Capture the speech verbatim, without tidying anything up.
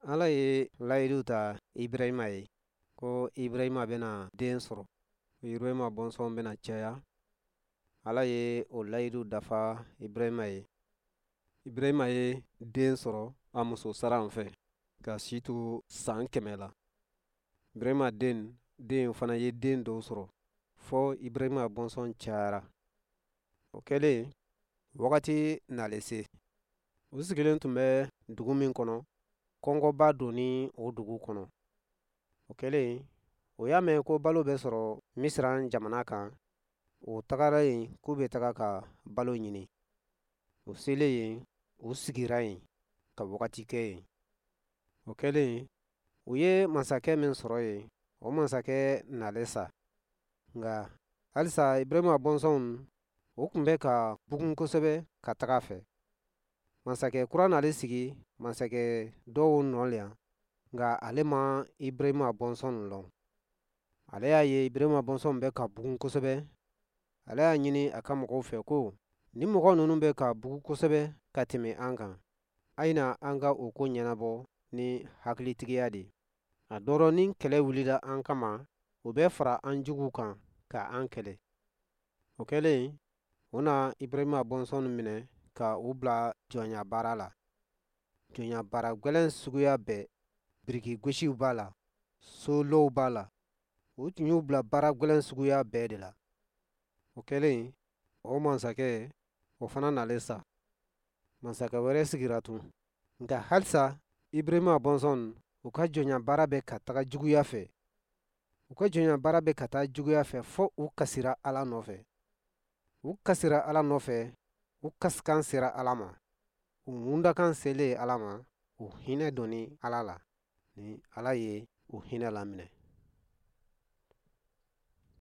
Ala ye layidu ta Ibrahima ye ko Ibrahima bɛna den sɔrɔ, Ibrahima bɔnsɔn bɛna caya. Ala ye o layidu dafa Ibrahima ye. Ibrahima ye den sɔrɔ a muso Saran fɛ ka si to san kɛmɛ la. Ibrahima den den fana ye den dɔw sɔrɔ fɔ Ibrahima bɔnsɔn cayara. O kɛlen, wagati nalen se, u sigilen tun bɛ dugu min kɔnɔ, kɔngɔba donni o dugu kɔnɔ. O kɛlen, o y'a mɛn ko balo bɛ sɔrɔ Misiran jamana kan. O tagara yen k'u bɛ taga ka balo ɲini. U selen yen, u sigira yen ka wagati kɛ yen. O kɛlen, u ye masakɛ min sɔrɔ yen, o masakɛ nalen sa. Nka halisa Ibrahima bɔnsɔnw, o tun bɛ ka bugun kosɛbɛ ka taga fɛ. Masakɛ kura nalen sigi masakɛ dɔw nɔ la, nka ale ma Ibrahima bɔnsɔn lɔn. Ale y'a ye Ibrahima bɔnsɔn bɛ ka bugun kosɛbɛ. Ale y'a ɲini a ka mɔgɔw fɛ ko ni mɔgɔ ninnu bɛ ka bugun kosɛbɛ ka tɛmɛ an kan, a ye na an ka o ko ɲɛnabɔ ni hakilitigiya de ye. A dɔrɔ ni kɛlɛ wulila an kama, o bɛ fara an juguw kan ka an kɛlɛ. O kɛlen, u na Ibrahima bɔnsɔn minɛ ka u bila jɔnya baara la. Jɔnya baara gɛlɛn suguya bɛɛ, biriki gosiw b'a la, solɔw b'a la. U tun y'u bila baara gɛlɛn suguya bɛɛ de la. O kɛlen, o masakɛ o fana nalen sa. Masakɛ wɛrɛ sigira tun. Nka halisa Ibrahima bɔnsɔn, u ka jɔnya baara bɛ ka taga juguya fɛ. U ka jɔnya baara bɛ ka taa juguya fɛ fɔ u kasira Ala nɔfɛ. U kasira Ala nɔfɛ, u kasikan sera Ala ma. U ŋundakan selen Ala ma, u hinɛ donni Ala la. Ni Ala ye u hinɛ laminɛ.